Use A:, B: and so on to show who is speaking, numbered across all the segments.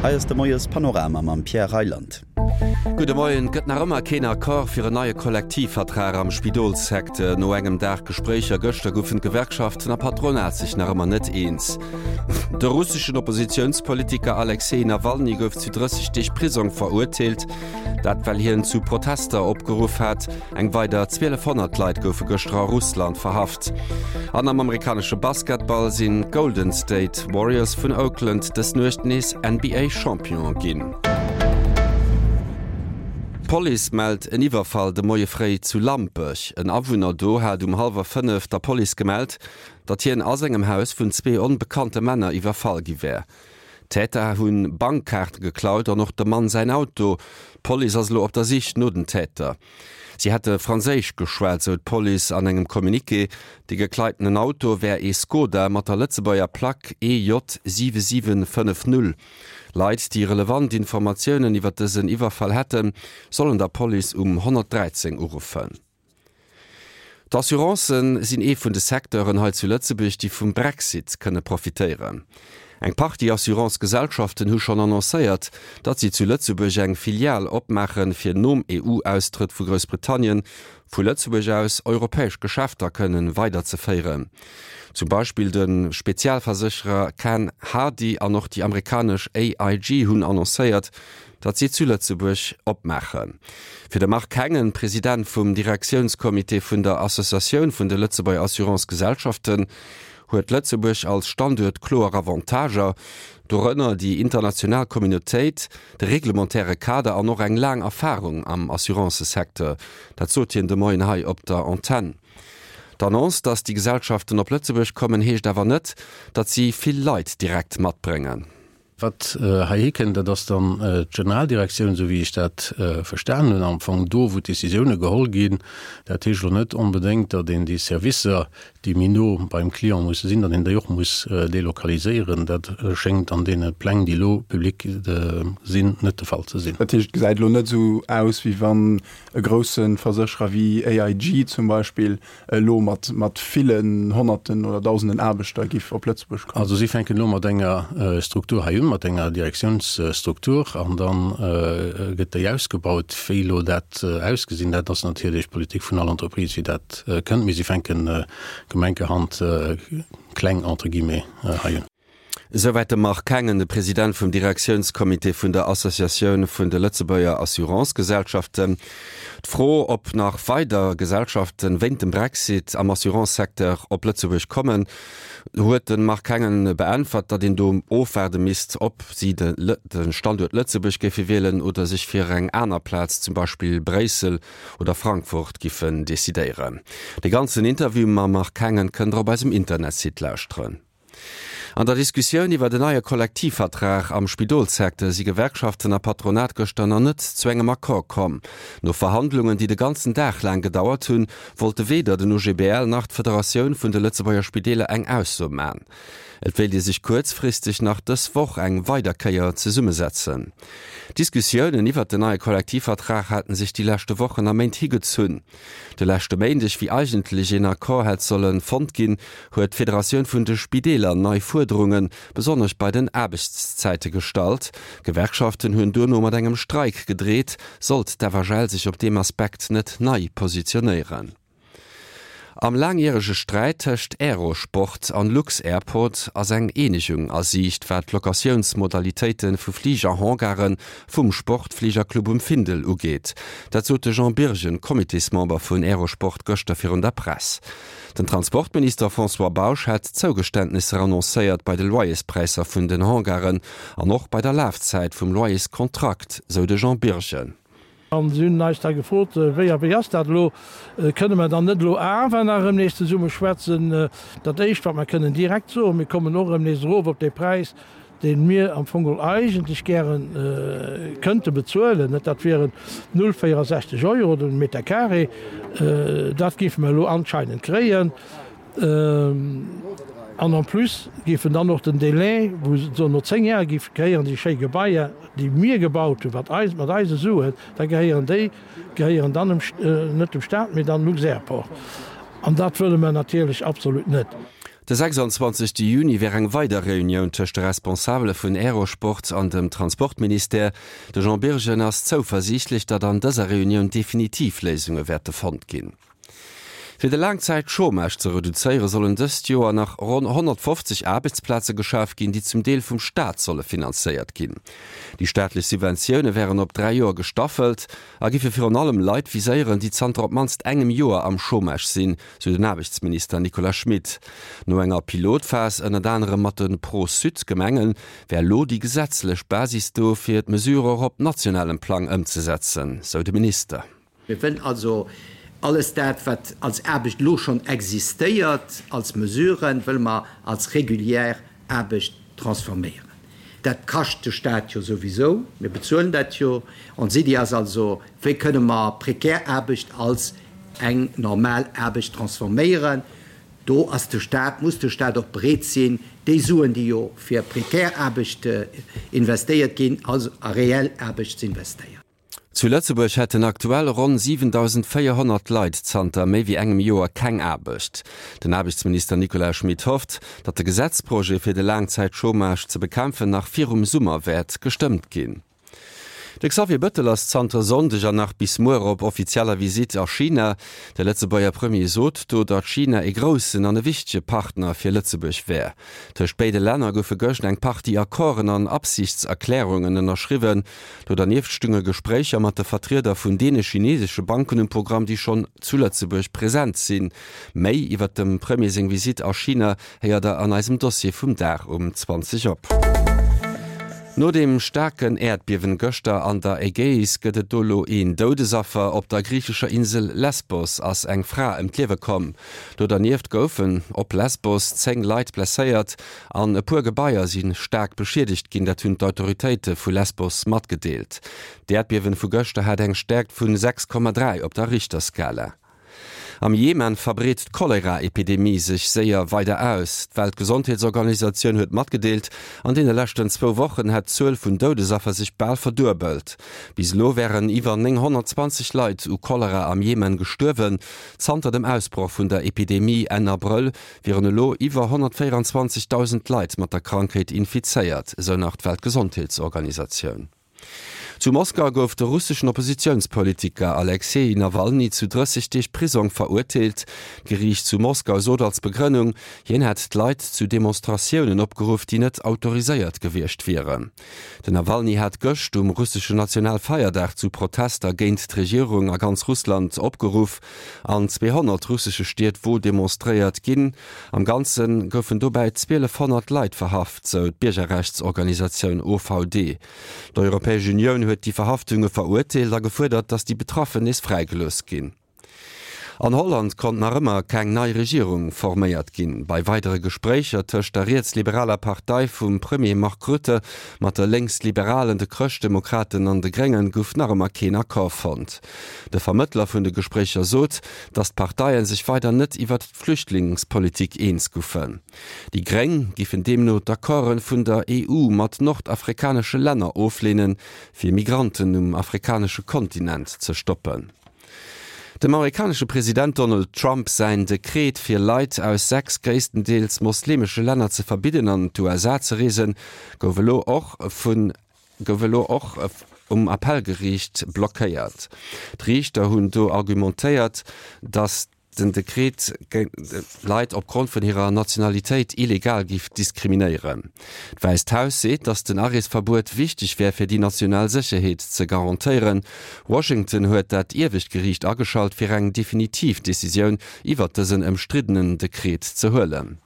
A: Hei ass de Moies Panorama mam Pierre Reyland.
B: Gudde Moien. Et gëtt nach ëmmer keen Accord fir en neie Kollektivvertrag am Spidolssecteur. No engem Dag Gespréicher gëschter goufen d'Gewerkschaften a Patronat sech nach ëmmer net eens. De russeschen Oppositiounspolitiker Alexej Nawalny gouf zu 30 Deeg Prisong verurteelt. Dat well hien zu Protester opgeruff hat. Eng weider 1.200 Leit goufe gëschter a Russland verhaft. An am amerikanesche Basketball sinn d'Golden State Warriors vun Oakland dës Nuecht nees NBA-Champion ginn. D'Police mellt en Iwwerfall de Moie fréi zu Lampech. En Awunner do hat um hallwer 5 der Police gemellt, datt hien a sengem Haus vun zwee onbekannte Männer iwwerfall gi wär. D'Täter hu Bankkaarte geklaut an och dem Mann säin Auto. D'Police ass elo op der Sich no den Täter. Si hätte Franséisch geschwat, sou d'Police an engem Communiqué. De gekleitenen Auto wär ee Skoda mat der Lëtzebuerger Plack EJ 7750. Leit, déi relevant Informatiounen iwwer dësen Iwwerfall hätten, sollen der Police um 113 uruffen. D'Assurancen sinn ee vun de Secteuren hei zu Lëtzebuerg, déi vum Brexit kënne profitéieren. Eng Partie Assurance-Gesellschaften hu schonn annoncéiert, datt si zu Lëtzebuerg eng Filial opmaachen, fir nom EU-Austrëtt vu Groussbritannien vu Lëtzebuerg aus europäesch Geschäfter kënnen weiderzeféieren. Zum Beispill de Spezialversécherer Can Hardy an och déi amerikanesch AIG hunn annoncéiert, datt si zu Lëtzebuerg opmaachen. Fir de Marc Hengen, President vum Direktiounscomité vun der Associatioun vun de Lëtzebuerger Assurance-Gesellschaften, huet Lëtzebuerg als Standuert kloer Avantager, dorënner déi international Communautéit, de reglementaire Kader an och eng laang Erfarung am Assurancesecteur. Dat sot hien de Moien hei op der Antenn. D'Annonce, datt déi Gesellschaften op Lëtzebuerg kommen, heescht awer net, datt si vill Leit direkt matbréngen.
C: Wat heihi kënnt, dat ass dann d'Generaldirektioun, esou wéi ech dat verstanen hunn, am Fong do, wou d'Décisioune geholl ginn. Dat heescht elo net onbedéngt, datt een déi Servicer, déi méi no beim Client musse sinn, datt een déi och muss delokaliséieren. Dat schéngt an deene Pläng, déi elo public sinn, net de Fall ze sinn.
D: Dat heescht, et gesäit elo net esou aus, wéi wann e grousse Versécherer wéi AIG zum Beispill elo mat mat villen Honnerten oder Dausenden Aarbechter giff op Lëtzebuerg kommen?
C: Also si fänken elo mat enger Struktur hei un, mat enger Direktiounsstruktur, an da gëtt déi ausgebaut. Wéi elo dat ausgesinn, dat ass natierlech d'Politik vun all Entreprise, wéi dat kënnt. Mee si fänken gemenkerhand kleng, entre guillemets, hei un.
B: Esouwäit de Marc Hengen, de President vum Direktiounscomité vun der Associatioun vun de Lëtzebuerger Assurancegesellschaften. D'Fro, ob nach weider Gesellschaften wéint dem Brexit am Assurancesecteur op Lëtzebuerg kommen, huet de Marc Hengen beäntwert, datt een do ofwaarde misst, ob si de Standuert Lëtzebuerg géife wielen oder sech fir eng aner Plaz, zum Beispill Bréissel oder Frankfurt, giffen decidéieren. De ganzen Interview mam Marc Hengen kënnt der op eisem Internetsite lauschteren. An der Diskussioun iwwer en neie Kollektivvertrag am Spidolssecteur si Gewerkschaften a Patronat gëschter nach net zu engem Accord komm. No Verhandlungen, déi de ganzen Dag laang gedauert hunn, wollte weder den OGBL nach d'Federatioun vun de Lëtzebuerger Spideeler eng Ausso man. Et wéilt ee sech kuerzfristeg nach dës Woch eng weider Kéier zesummesetzen. D'Diskussiounen iwwert den neie Kollektivvertrag haten sech déi leschte Wochen a Méint higezunn. De leschte Méindeg, wéi eigentlech een Accord hätt solle fonnt ginn, huet d'Federatioun vun de Spideeler nei Fuerderunge, besonnesch bei den Aarbechtszäite gestallt. D'Gewerkschaften hunn duerno mat engem Streik gedreet, sollt d'FHL sech op deem Aspekt net nei positionéieren. Am laangjärege Sträit tëscht Aerosport an lux-Airport ass eng Eenegung a Siicht, wat d'Locatiounsmodalitéite vu Fliger-Hangare vum Sportfligerclub um Findel ugeet. Dat sot de Jean Birgen, Comitésmember vun Aerosport, gëschter virun der Press. Den Transportminister François Bausch hätt Zougeständnisser annoncéiert bei de Loyerspräisser vun den Hangaren an och bei der Lafzäit vum Loyerskontrakt, sou de Jean Birgen.
E: An si hunn eis da gefrot, Wéi a wéi ass dat elo? Kënne mer dann net elo awer nach erëm nees zesumme schwätzen? Dat Éischt, wat mer kënnen direkt soen, Mir kommen och erëm nees erof op dee Präis, dee mir am Fong geholl eigentlech gäre kënnte bezuelen, net? Dat wieren 0,64 Euro den Meter carré. Dat géife mer elo anscheinend kréien. An en plus géifen dann och den Délai, wou se no 10 Jar géife gehéieren, déi schéi Gebaier, déi mir gebaut hunn, wat eis, mat eise Suen, da gehéieren déi, gehéieren dann dem, net dem Stat, mee dann Luxairport. An dat wëlle mer natierlech absolut net.
B: De 26 Juni wär eng weider Reunioun tëscht de Responsabele vun Aerosport an dem Transportministère. De Jean Birgen ass zouversiichtlech, datt an dëser Reunioun definitiv Léisunge wäerte fonnt ginn. Fir de Laangzäit-Chômage ze reduzéiere sollen dëst Joer nach ronn 150 Aarbechtsplaze geschaf ginn, déi zum Deel vum Staat solle finanzéiert ginn. Déi staatlech Subventioune wären op 3 Joer gestaffelt a giffe virun allem Leit viséieren, déi zanter op d'mannst engem Joer am Chômage sinn, sou den Aarbechtsminister Nicolas Schmit. No enger Pilotphas, ënnert anerem mat de Pro-Sud-Gemengen, wär elo déi gesetzlech Basis do, fir d'Mesure och op nationalem Plang ëmzesetzen, sou de Minister.
F: Mir wëllen also alles dat, wat als Aarbecht elo schonn existéiert, als Mesuren, wëlle mer als régulière Aarbecht transforméieren. Dat kascht de Stat jo souwisou, mir bezuelen dat jo. Ons Iddi ass also, Wéi kënne mer prekär Aarbecht als eng normal Aarbecht transforméieren? Do ass de Stat, muss de Stat och bereet sinn, déi Suen, déi jo fir prekär Aarbecht investéiert ginn, also a reell Aarbecht ze investéieren.
B: Zu Lëtzebuerg hätten aktuell ronn 7.400 Leit zanter méi wéi engem Joer keng Aarbecht. Den Aarbechtsminister Nicolas Schmit hofft, datt de Gesetzprojet fir de Laangzäitchômage ze bekämpfen nach virum Summer wäert gestëmmt ginn. De Xavier Bëttel ass zanter Sonndeg an nach bis muer op offizieller Visitt a China. De Lëtzebuerger Premier sot do, datt China e groussen an e wichtege Partner fir Lëtzebuerg wär. Tëscht béide Länner goufe gëscht eng Partie Accorden an Absichtserklärungen ënnerschriwwen. Do dernieft stunge Gespréicher mat de Vertrieder vun deene chinesesche Banken um Programm, déi schonn zu Lëtzebuerg present sinn. Méi iwwert dem Premier seng Visitt a China héiert der an eisem Dossier vum Dag um 20 op. No dem staarken Äerdbiewen gëschter an der Ägäis gëtt et do lo een Doudesaffer. Op der griichescher Insel Lesbos ass eng Fra ëm d'Liewe komm. Do dernieft goufen op Lesbos 10 Leit blesséiert. An e puer Gebaier si staark beschiedegt ginn, dat hunn d'Autoritéite vu Lesbos matgedeelt. D'Äerdbiewen vu gëschter hat eng Stäerkt vu 6,3 op der Richterskala. Am Jemen verbreet d'Cholera-Epidemie sech séier weider aus. D'Weltgesondheetsorganisatioun huet matgedeelt, an deene leschten zwou Wochen hätt d'Zuel vun Doudesaffer sech bal verduebelt. Bis elo wären iwwer 920 Leit u Cholera am Jemen gestuerwen. Zanter dem Ausbroch vun der Epidemie Enn Abrëll wieren elo iwwer 124.000 Leit mat der Krankheet infizéiert, esou nach d'Weltgesondheetsorganisatioun. Zu Moskau gouf de russeschen Oppositiounspolitiker Alexeji Nawalny zu 30 Deeg Prisong verurteelt. D'Geriicht zu Moskau sot als Begrënnung, hien hätt d'Leit zu Demonstratiounen opgeruff, déi net autoriséiert gewiescht wieren. Den Nawalny hat gëscht um russeschen Nationalfeierdag zu Protester géint d'Regierung a ganz Russland opgeruff. An 200 russesche Stied wor demonstréiert ginn. Am Ganze goufen dobäi 1.200 Leit verhaft, sou d'Biergerrechtsorganisatioun OVD. D'Europäesch Unioun huet déi Verhaftunge verurteelt a gefuerdert, datt déi Betraffen nees fräigelooss ginn. An Holland konnt nach ëmmer keng nei Regierung forméiert ginn. Bei weidere Gespréicher tëscht der rietsliberaler Partei vum Premier Mark Rutte mat de Lénksliberalen, de Chrëschtdemokraten an de Gréngen gouf nach ëmmer keen Accord fonnt. De Vermëttler vun de Gespréicher sot, datt d'Parteie sech weider net iwwert d'Flüchtlingspolitik eens goufen. Déi Gréng giffen deemno d'Accorde vun der EU mat nordafrikanesche Länner ofleenen, fir Migranten um afrikanesche Kontinent ze stoppen. Dem amerikanesche President Donald Trump säin Dekret fir Leit aus 6 gréisstendeels moslemesche Länner ze verbidden an d'USA ze reesen, gouf elo och vun gouf elo och um Appellgeriicht blockéiert. D'Riichter hunn do argumentéiert, datt den Dekret Leit opgrond vun hirer Nationalitéit illegal géif diskriminéieren. D'Wäisst Haus seet, datt den Areesverbuet wichteg wär, fir déi national Sécherheet ze garantéieren. Washington huet dat iewescht Geriicht ageschalt, fir eng definitiv Decisioun iwwert dësen ëmstriddenen Dekret ze huelen.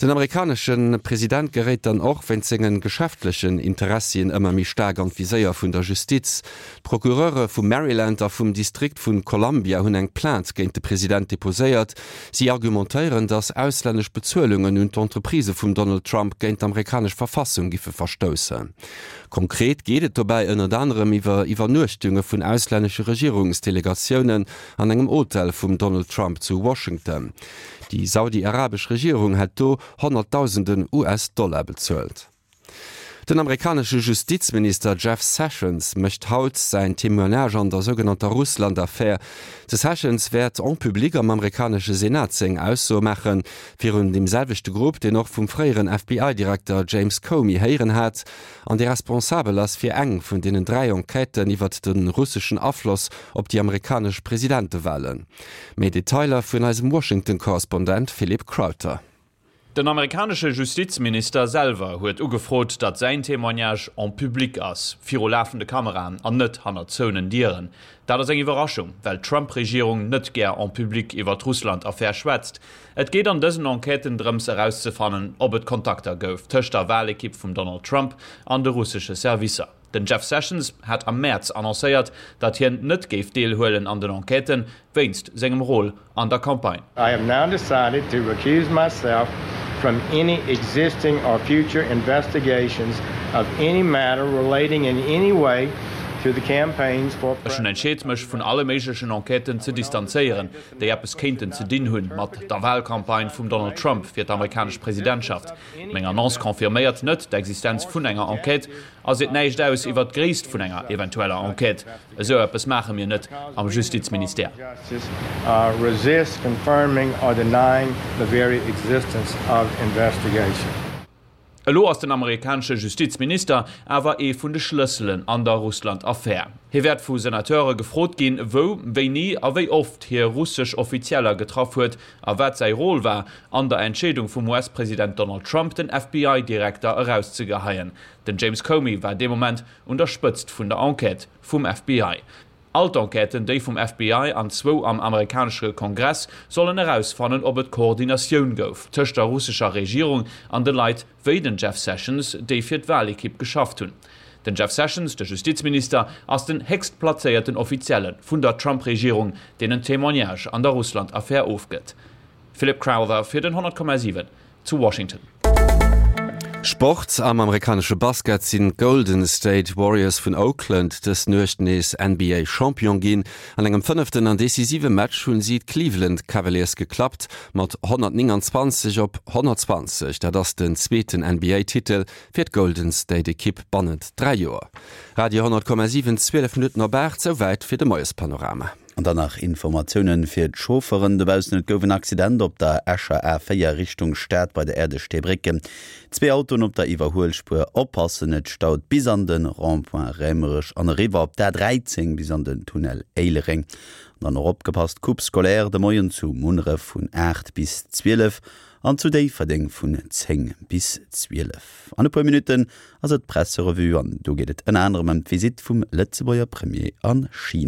B: Den amerikanesche President geréit dann och wéinst senge geschäftlechen Interessien ëmmer méi staark an d'Viséier vun der Justiz. D'Procureure vu Maryland a vum Distrikt vu Columbia hunn eng Plainte géint de President deposéiert. Si argumentéieren, datt auslännesch Bezuelungen un d'Entreprisë vum Donald Trump géint d'amerikanesch Verfassung giffe verstoussen. Konkret geet et dobäi ënnert anerem iwwer Iwwernuechtunge vun auslännesche Regierungsdelegatiounen an engem Hotel vum Donald Trump zu Washington. Déi saudi-arabesch Regierung hätt do Honnertdausenden US-Dollar bezuelt. Den amerikanesche Justizminister Jeff Sessions mécht haut säin Témoignage an der sougenannter Russland-Affär. De Sessions wäert en public am amerikanesche Senat seng Aussoe maachen, virun deem selwechte Grupp, deen och vum fréieren FBI-Direkter James Comey héieren hat an dee responsabel ass fir eng vun deenen 3 Enquêten iwwert de russeschen Afloss op déi amerikanesch Presidentewalen. Méi Detailer vun eisem Washington-Korrespondent Philip Crowther.
G: Den amerikanesche Justizminister selwer huet ugefrot, datt säin Témoignage en public ass, viru lafende Kameraen an net hannert zouenen Dieren. Dat ass eng Iwwerraschung, well d'Trump-Regierung net gär en public iwwer d'Russland-Affär schwätzt. Et geet an dësen Enquêten drëms erauszefannen, ob et Kontakter gouf tëscht der Walekipp vum Donald Trump an de russesche Servicer. Den Jeff Sessions hat am Mäerz annoncéiert, datt hien net géif deelhuelen an den Enquêten, wéinst sengem Rôle an der Campagne.
H: I have now decided to recuse myself from any existing or future investigations of any matter relating in any way to the campaigns for
G: Ech hunn entscheet, mech vun alle méiglechen Enquêten ze distanzéieren, déi eppes kéinten ze dinn hunn mat der Wahlcampagne vum Donald Trump fir d'amerikanesch Presidentschaft. Meng Annonce confirméiert net d'Existenz vun enger Enquête a seet näischt aus iwwert d'Gréisst vun enger eventueller Enquête. Esou eppes maache mir net am Justizministère. Elo ass den amerikanesche Justizminister awer ee vun de Schlësselen an der Russland-Affär. Hie wäert vu Senateure gefrot ginn, wou, wéini a wéi oft hie russesch Offizieller getraff huet a wat säi Rôle war an der Entscheedung vum US-President Donald Trump, den FBI-Direkter erauszegeheien. Den James Comey war dee Moment un der Spëtzt vun der Enquête vum FBI. All d'Enquêten, déi vum FBI an zwou am amerikanesche Kongress, sollen erausfannen, ob et Koordinatioun gouf tëscht der russescher Regierung an de Leit wéi den Jeff Sessions, déi fir d'Walekipp geschafft hunn. Den Jeff Sessions, de Justizminister, ass den héchstplazéierten Offizielle vun der Trump-Regierung, deen en Témoignage an der Russland-Affär ofgëtt. Philip Crowther fir den 100,7 zu Washington.
B: Sport, Am amerikanesche Basket sinn d'Golden State Warriors vun Oakland dës Nuecht nees NBA Champion ginn. An engem fënneften an decisive Match hunn si d'Cleveland Cavaliers geklappt mat 129 op 120. Dat ass den zweeten NBA Titel fir d'Golden State Ekipp bannent 3 Joer. Radio 10,7, 12 Minutten op 8, souwäit fir de Moiespanorama.
A: An dann nach Informatiounen fir d'Chaufferen dobaussen. Et gouf en Accident op der Escher A4 Richtung Stad bei der Äerdesteebréck. Zwee Autoen op der Iwwerhuelspuer. Oppassen, et staut bis an de Rond-point Raemerech an eriwwer op d'A13 bis an den Tunnel Éilereng. An dann och opgepasst, Coupe scolaire de Moien zu Munneref vun 8 bis 12 an zu Déifferdeng vun 10 bis 12. An e puer Minutten ass et d'Presserevue an do geet et ënner anerem ëm d'Visitt vum Lëtzebuerger Premier a China.